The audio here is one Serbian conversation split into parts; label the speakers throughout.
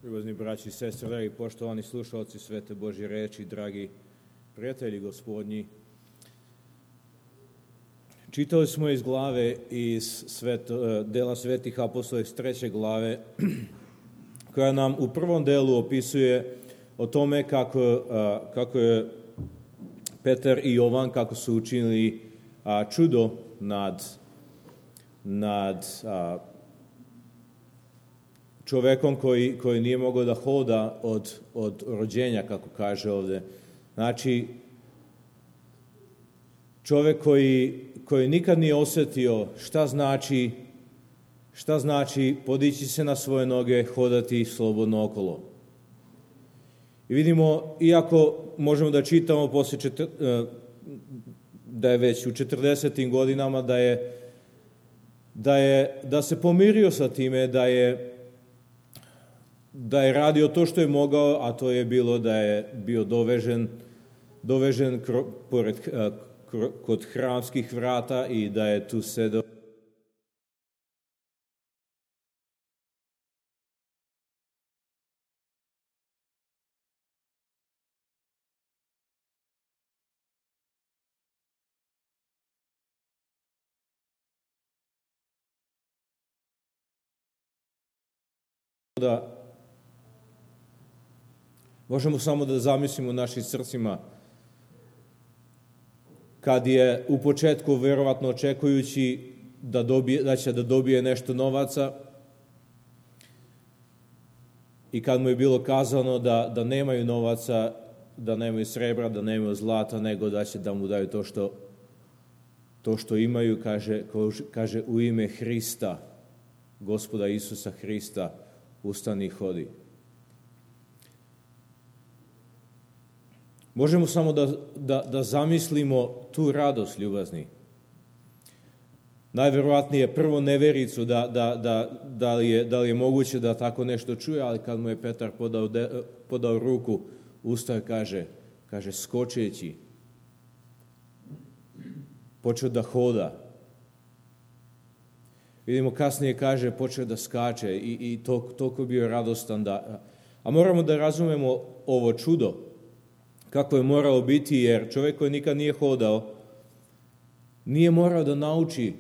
Speaker 1: Ljubazni braći i sestre, dragi poštovani slušalci Svete Božje reči, dragi prijatelji Gospodnji. Čitali smo iz glave iz dela Svetih apostola iz 3. glave, koja nam u prvom delu opisuje o tome kako je Petar i Jovan, kako su učinili čudo nad čovekom koji nije mogao da hoda od rođenja, kako kaže ovde. Znači, čovek koji nikad nije osjetio šta znači podići se na svoje noge, hodati slobodno okolo. I vidimo, iako možemo da čitamo da je već u 40. godinama, da se pomirio sa time, da je radio to što je mogao, a to je bilo da je bio dovežen kod hramskih vrata i da je tu sedao. Da možemo samo da zamislimo u našim srcima kad je u početku verovatno očekujući da će da dobije nešto novaca i kad mu je bilo kazano da nemaju novaca, da nemaju srebra, da nemaju zlata, nego da će da mu daju to što imaju, kaže u ime Hrista, Gospoda Isusa Hrista, ustani i hodi. Možemo samo da zamislimo tu radost, ljubazni. Najverovatnije prvo nevericu da li je moguće da tako nešto čuje, ali kad mu je Petar podao ruku, ustao kaže skočeći, počeo da hoda. Vidimo kasnije počeo da skače i toliko bio radostan a moramo da razumemo ovo čudo kako je moralo biti, jer čovjek koji nikad nije hodao nije morao da nauči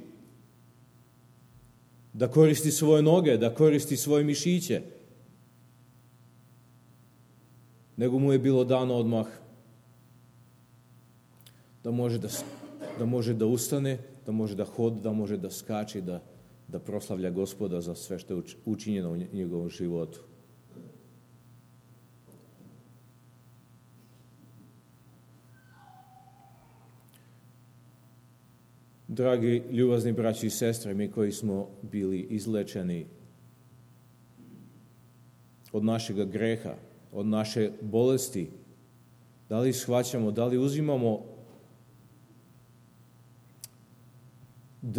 Speaker 1: da koristi svoje noge, da koristi svoje mišiće, nego mu je bilo dano odmah da može da ustane, da može da hoda, da može da skače, da proslavlja Gospoda za sve što je učinjeno u njegovom životu. Dragi ljubazni braći i sestre, mi koji smo bili izlečeni od našega greha, od naše bolesti, da li shvaćamo, da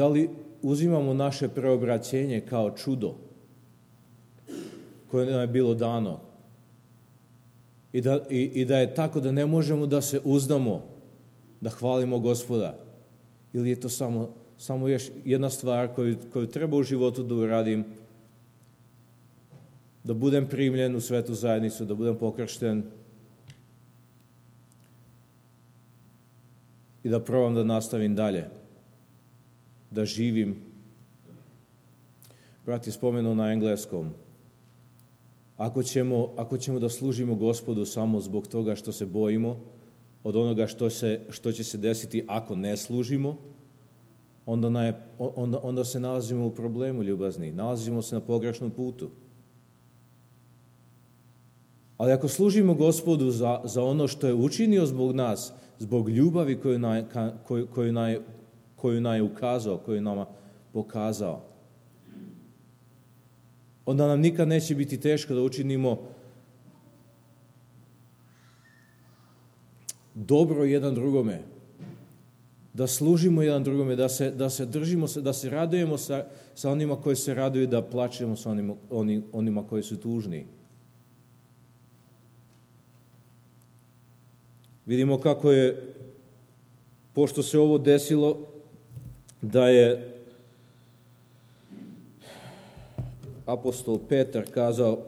Speaker 1: li uzimamo naše preobraćenje kao čudo koje nam je bilo dano i da je tako da ne možemo da se uzdamo, da hvalimo Gospoda, ili je to samo još jedna stvar koju treba u životu da uradim, da budem primljen u svetu zajednicu, da budem pokršten i da probam da nastavim dalje, da živim. Brat je spomenuo na engleskom. Ako ćemo da služimo Gospodu samo zbog toga što se bojimo od onoga što će se desiti ako ne služimo, onda se nalazimo u problemu, ljubazni. Nalazimo se na pogrešnom putu. Ali ako služimo Gospodu za ono što je učinio zbog nas, zbog ljubavi koju nam je ukazao, koju nama pokazao, onda nam nikad neće biti teško da učinimo dobro jedan drugome, da služimo jedan drugome, da se držimo, da se radujemo sa onima koji se raduju, da plačemo sa onima koji su tužni. Vidimo kako je, pošto se ovo desilo, da je apostol Petar kazao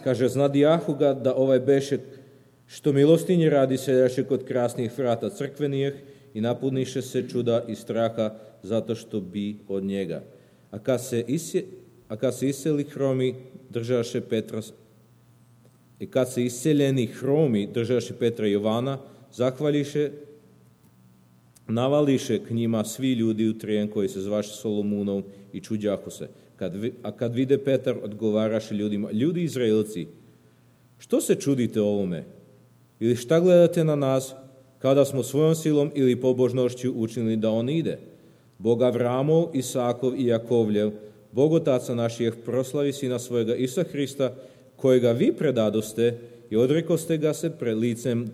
Speaker 1: Kaže, znadijahu ga da ovaj beše što milostinje radi seljaše kod krasnih vrata crkvenijeh i napuniše se čuda i straha zato što bi od njega. A kad se iseli hromi, držaše Petra, i kad se iseljeni hromi držaše Petra i Jovana, zahvališe, navališe k njima svi ljudi u trijen koji se zvaše Solomunov i čuđahu se. Kad vide Petar, odgovaraše ljudima, ljudi Izraelci, što se čudite ovome? Ili šta gledate na nas, kada smo svojom silom ili pobožnošću učinili da on ide? Bog Avramov, Isakov i Jakovljev, Bog Otaca naših, proslavi sina svojega Isusa Hrista, kojega vi predadoste i odrekoste ga se pred licem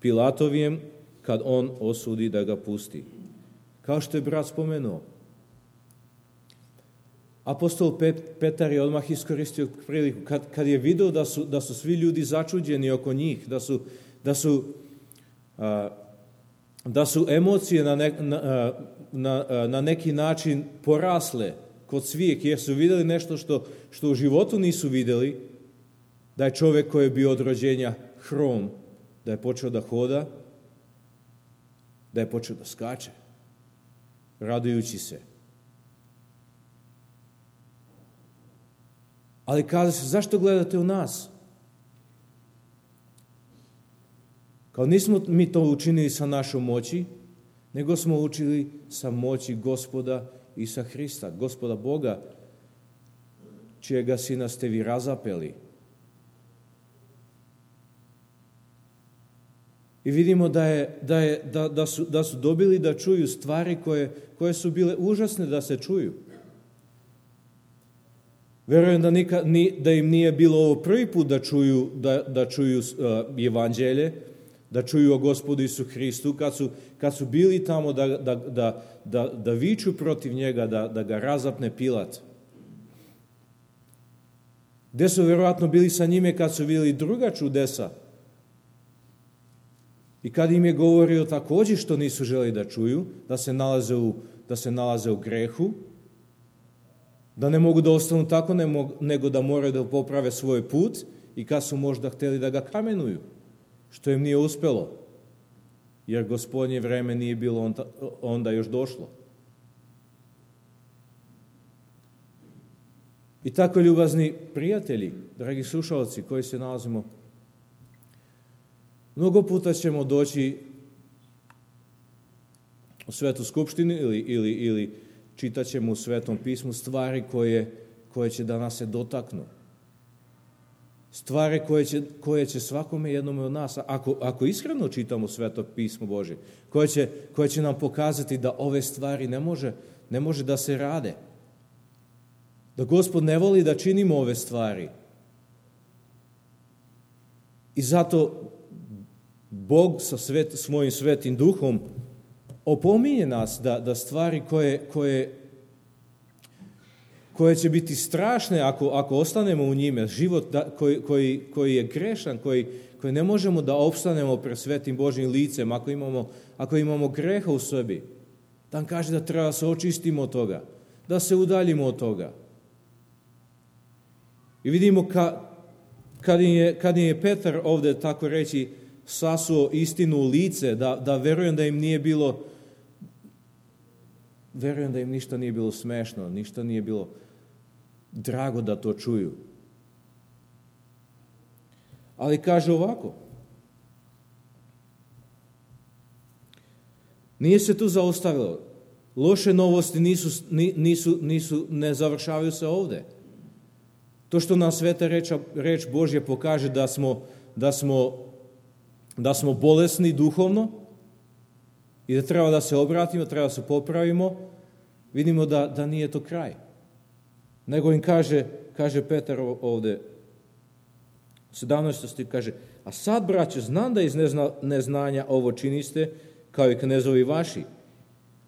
Speaker 1: Pilatovijem, kad on osudi da ga pusti. Kao što je brat spomenuo, apostol Petar je odmah iskoristio priliku, kad je vidio da su svi ljudi začuđeni oko njih, da su emocije na neki način porasle kod svih, jer su vidjeli nešto što u životu nisu vidjeli, da je čovjek koji je bio od rođenja hrom, da je počeo da hoda, da je počeo da skače, radujući se. Ali kaže se, zašto gledate u nas? Kao nismo mi to učinili sa našom moći, nego smo učili sa moći Gospoda Isusa Hrista, Gospoda Boga, čijega sina ste vi razapeli. I vidimo da su dobili da čuju stvari koje su bile užasne da se čuju. Verujem da im nije bilo ovo prvi put da čuju evanđelje, da čuju o Gospodu Isu Hristu, kad su bili tamo da viču protiv njega, da ga razapne Pilat. Gde su verovatno bili sa njime kad su vidjeli druga čudesa i kad im je govorio također što nisu želi da čuju, da se nalaze u grehu, da ne mogu da ostanu tako, nego da moraju da poprave svoj put i kad su možda htjeli da ga kamenuju, što im nije uspelo, jer Gospodnje vreme nije bilo onda još došlo. I tako, ljubazni prijatelji, dragi slušalci koji se nalazimo, mnogo puta ćemo doći u Svetu skupštinu ili čitat ćemo u Svetom pismu stvari koje će da nas se dotaknu. Stvari koje će svakome jednome od nas, ako iskreno čitamo Sveto pismo Božje, koje će nam pokazati da ove stvari ne može da se rade. Da Gospod ne voli da činimo ove stvari. I zato Bog sa svojim svetim duhom opominje nas da stvari koje će biti strašne ako ostanemo u njime, život koji je grešan, koji ne možemo da opstanemo pred svetim Božjim licem, ako imamo greha u sebi, tam kaže da treba se očistimo od toga, da se udaljimo od toga. I vidimo kad je Petar ovdje, tako reći, sasuo istinu u lice, da verujem da im nije bilo, verujem da im ništa nije bilo smešno, ništa nije bilo drago da to čuju. Ali kaže ovako, nije se tu zaustavilo. Loše novosti ne završavaju se ovdje. To što nam sveta reč Božja pokaže da smo bolesni duhovno i da treba da se obratimo, treba da se popravimo, vidimo da nije to kraj. Nego im kaže Petar ovdje, 17. stih kaže, a sad, braće, znam da iz neznanja ovo činiste, kao i knezovi vaši,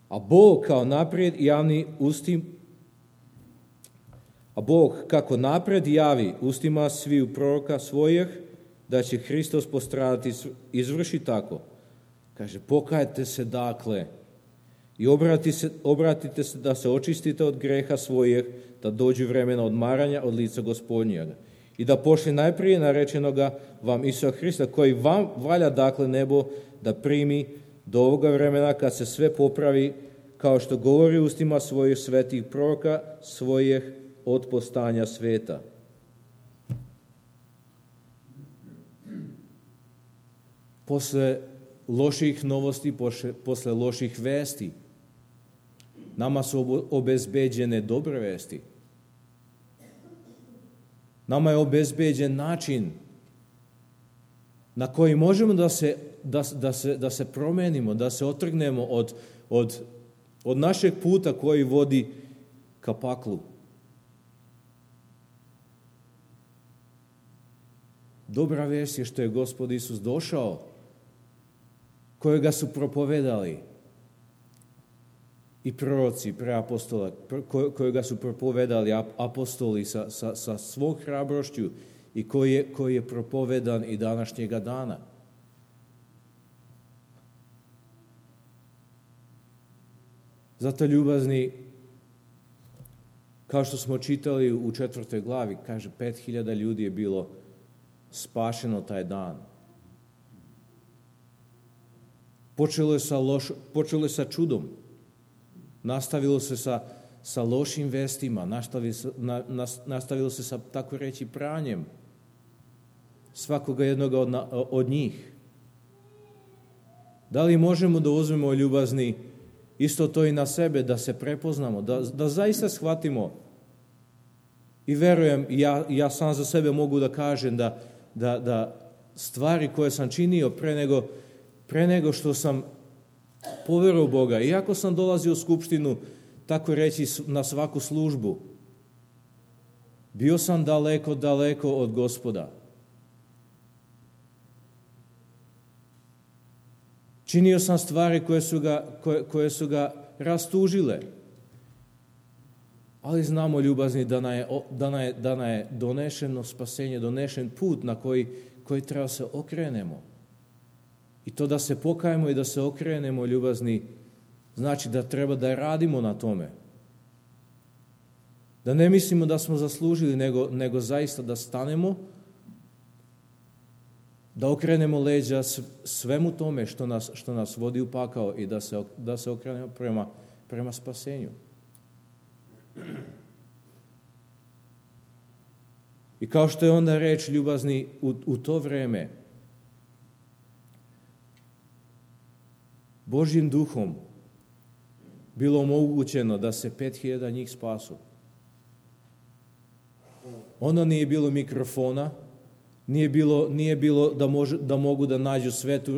Speaker 1: a Bog kao naprijed javni ustim, a Bog kako napred javi ustima sviju proroka svojih, da će Hristos postradati, izvrši tako. Kaže, pokajte se dakle i obratite se da se očistite od greha svojih, da dođu vremena odmaranja od lica Gospodnjega i da pošli najprije narečenoga vam Isusa Hrista, koji vam valja dakle nebo da primi do ovoga vremena kad se sve popravi, kao što govori ustima svojih svetih proroka, svojih od postanja sveta. Posle loših novosti, posle loših vesti, nama su obezbeđene dobre vesti. Nama je obezbeđen način na koji možemo da se promenimo, da se otrgnemo od našeg puta koji vodi ka paklu. Dobra vest je što je Gospod Isus došao, kojega su propovedali i proroci, i preapostola, kojega su propovedali apostoli sa svog hrabrošću i koji je propovedan i današnjega dana. Zato, ljubazni, kao što smo čitali u 4. glavi, kaže 5.000 ljudi je bilo spašeno taj dan. Počelo je sa čudom. Nastavilo se sa lošim vestima, nastavilo se sa, tako reći, pranjem svakoga jednoga od njih. Da li možemo da uzmemo, ljubazni, isto to i na sebe, da se prepoznamo, da zaista shvatimo i verujem, ja sam za sebe mogu da kažem da stvari koje sam činio pre nego što sam poverovao Boga, iako sam dolazio u skupštinu, tako reći, na svaku službu, bio sam daleko od Gospoda. Činio sam stvari koje su ga rastužile. Ali znamo, ljubazni, da nam je donešeno spasenje, donešen put na koji treba se okrenemo. I to da se pokajemo i da se okrenemo, ljubazni, znači da treba da radimo na tome. Da ne mislimo da smo zaslužili, nego zaista da stanemo, da okrenemo leđa svemu tome što nas vodi u pakao i da se okrenemo prema spasenju. I kao što je onda reč, ljubazni, u to vreme Božjim duhom bilo omogućeno da se 5.000 njih spasu. Onda nije bilo mikrofona, nije bilo da mogu da nađu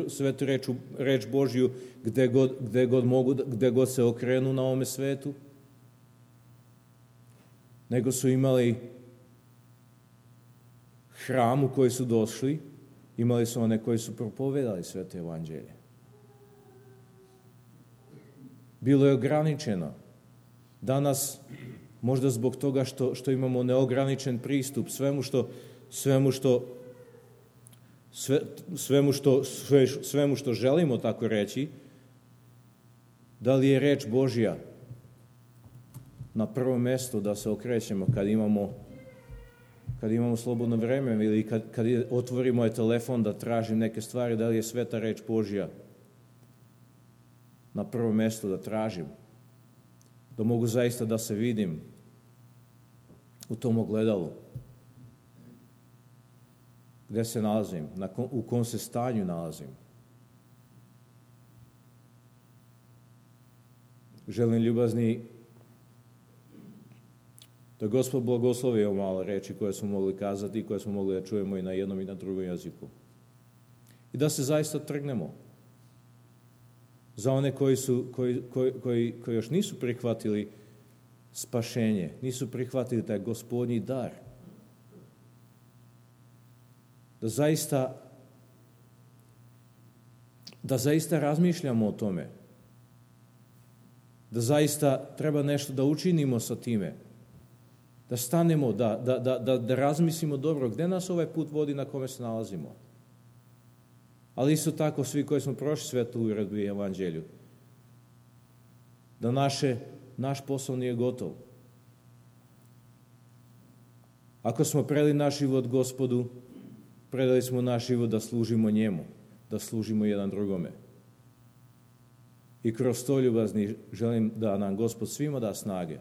Speaker 1: svetu reč Božju gde god se okrenu na ovome svetu, nego su imali hram u koji su došli, imali su one koji su propovedali sveto evanđelje. Bilo je ograničeno. Danas, možda zbog toga što imamo neograničen pristup svemu što želimo, tako reći, da li je reč Božja na prvo mesto da se okrećemo kad imamo slobodno vreme ili kad otvorimo telefon da tražim neke stvari, da li je sveta reč Božja na prvo mesto da tražim, da mogu zaista da se vidim u tom ogledalu. Gde se nalazim, u kom se stanju nalazim. Želim, ljubazni, da Gospod blagoslovi ovo malo reči koje smo mogli kazati i koje smo mogli da čujemo i na jednom i na drugom jeziku. I da se zaista trgnemo. Za one koji još nisu prihvatili spašenje, nisu prihvatili taj Gospodnji dar, da zaista razmišljamo o tome, da zaista treba nešto da učinimo sa time, da stanemo, da razmislimo dobro gde nas ovaj put vodi na kome se nalazimo. Ali isto tako svi koji smo prošli svetu uredbu i evanđelju, da naš posao nije gotov. Ako smo predali naš život Gospodu, predali smo naš život da služimo njemu, da služimo jedan drugome. I kroz to, ljubazni, želim da nam Gospod svima da snage,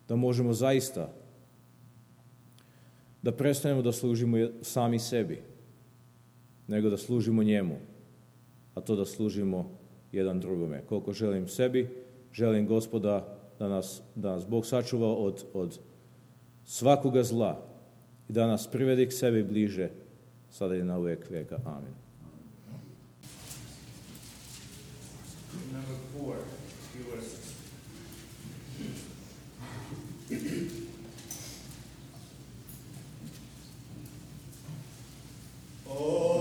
Speaker 1: da možemo zaista da prestanemo da služimo sami sebi, nego da služimo njemu, a to da služimo jedan drugome. Koliko želim sebi, želim Gospoda da nas Bog sačuva od svakoga zla i da nas privedi k sebi bliže, sada i na uvijek vijeka. Amin.
Speaker 2: Number 4, yours.
Speaker 3: Oh,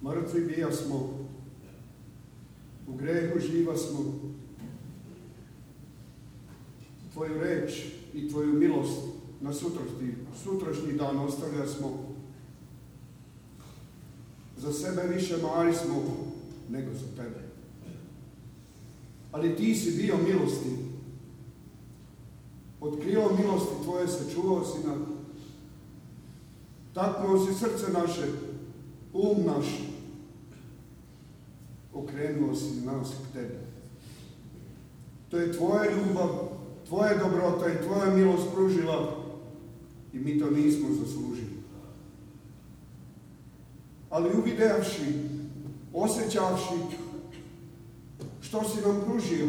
Speaker 3: Mrtvi bija smo, u grehu živa smo. Tvoju reč i Tvoju milost na sutrašnji dan ostavlja smo. Za sebe više mari smo nego za Tebe. Ali Ti si bio milosti. Od krila milosti Tvoje se čuvao si nam. Taknuo si srce naše, naš. Okrenuo si nas k Tebi. To je Tvoja ljubav, Tvoja dobrota i Tvoja milost pružila i mi to nismo zaslužili. Ali uvidevši, osjećavši što si nam pružio,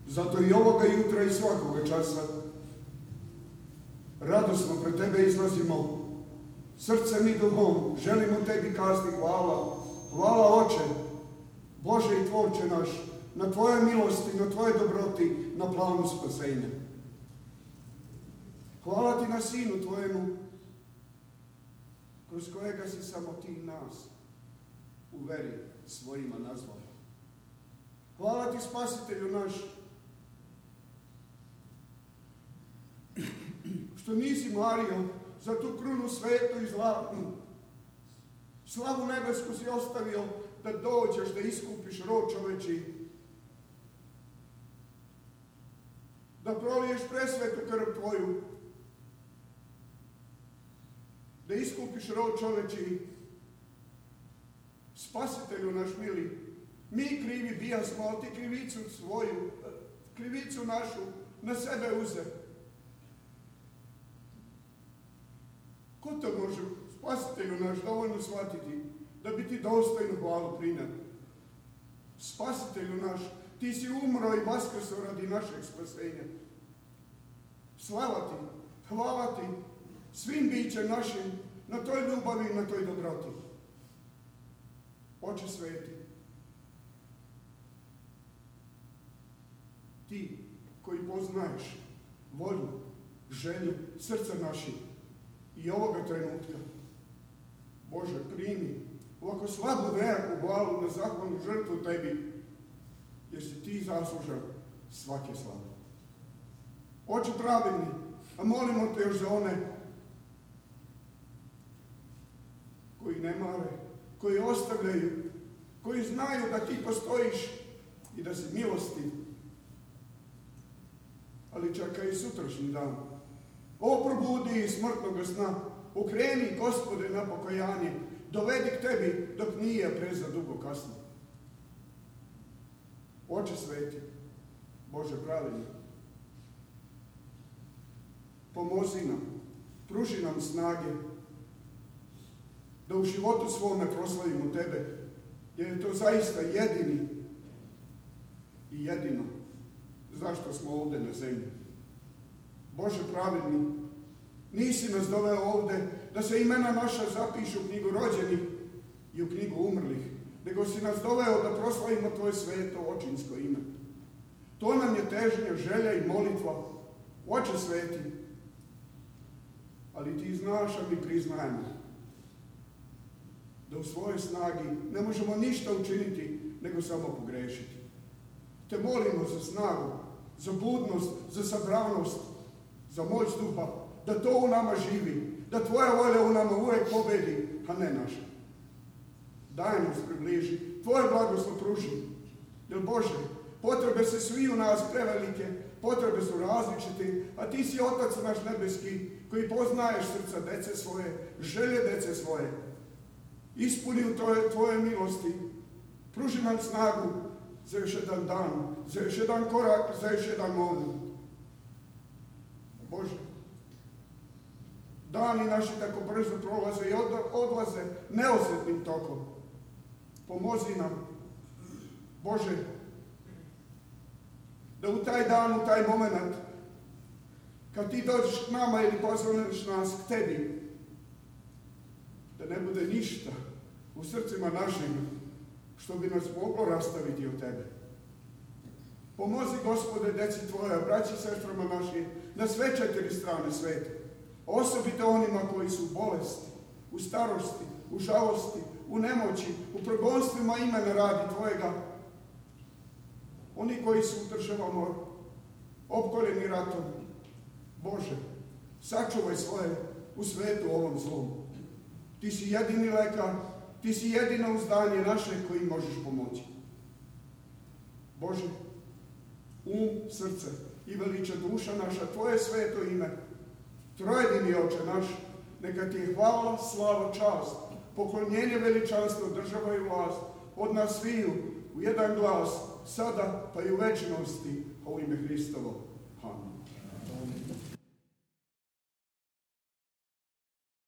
Speaker 3: zato i ovoga jutra i svakoga časa radosno pred Tebe izlazimo, srcem i duhom, želimo Tebi kazati hvala. Hvala Oče, Bože i Tvorče naš, na Tvoje milosti, na Tvoje dobroti, na planu spasenja. Hvala Ti na Sinu Tvojemu, kroz kojega si samo Ti nas u veri svojima nazvao. Hvala Ti, Spasitelju naš, što nisi mario za tu krunu svetu i zlatnu. Slavu nebesku si ostavio da dođeš, da iskupiš rod čoveči, da proliješ presvetu krv Tvoju, da iskupiš rod čoveči. Spasitelju naš mili, mi krivi bijasmo, ali Ti krivicu svoju, krivicu našu na sebe uze. Ko to može, Spasitelju naš, dovoljno shvatiti, da bi Ti dostojnu hvalu prinio? Spasitelju naš, Ti si umro i vaskrso radi našeg spasenja. Slava Ti, hvala Ti, svim bićem našim, na toj ljubavi i na toj dobroti. Oče sveti, Ti koji poznaješ volju, želju srca naših i ovoga trenutka, Bože, primi ovako slabu nejaku glavu na zahvalnu žrtvu Tebi, jer si Ti zaslužan svake slave. Oče pravedni, a molimo Te još za one koji ne mare, koji ostavljaju, koji znaju da Ti postojiš i da si milostiv. Ali čekaj i sutrašnji dan. O, probudi iz smrtnog sna, okreni, Gospode, na pokajanje, dovedi k Tebi dok nije prezadugo kasno. Oče sveti, Bože pravedni, pomozi nam, pruži nam snage, da u životu svome proslavimo Tebe, jer je to zaista jedini i jedino zašto smo ovdje na zemlji. Bože pravedni, nisi nas doveo ovdje da se imena naša zapišu u knjigu rođenih i u knjigu umrlih, nego si nas doveo da proslavimo Tvoje sveto očinsko ime. To nam je težnja, želja i molitva. Oče sveti, ali Ti znaš, a mi priznajemo da u svojoj snagi ne možemo ništa učiniti, nego samo pogrešiti. Te molimo za snagu, za budnost, za sabranost, za moć duha, da to u nama živi, da Tvoja volja u nama uvijek pobedi, a ne naša. Daj nas približi, Tvoje blagoslov pruži. Jer Bože, potrebe se svi u nas prevelike, potrebe su različite, a Ti si Otac naš nebeski, koji poznaješ srca dece svoje, želje dece svoje. Ispuni u Tvoje milosti, pruži nam snagu za još jedan dan, za još jedan korak, za još jedan moment. Bože, dani naši tako brzo prolaze i odlaze neosjetnim tokom. Pomozi nam, Bože, da u taj dan, u taj moment, kad Ti dođeš k nama ili pozvaneš nas k Tebi, da ne bude ništa u srcima našim što bi nas moglo rastaviti od Tebe. Pomozi, Gospode, deci Tvoja, braći i sestrama našim, na sve 4 strane sveta. Osobito onima koji su bolesti, u starosti, u žalosti, u nemoći, u progonstvima imena radi Tvojega. Oni koji su u državama opkoljeni ratom, Bože, sačuvaj svoje u svetu ovom zlom. Ti si jedini lekar, Ti si jedino uzdanje naše koji možeš pomoći. Bože, srce i veliča duša naša, Tvoje sveto ime, trojedini Oče naš, neka Ti je hvala, slava, čast, poklonjenje, veličanstvo, država i vlast, od nas sviju, u jedan glas, sada pa i u večnosti, u ime Hristovo. Amen.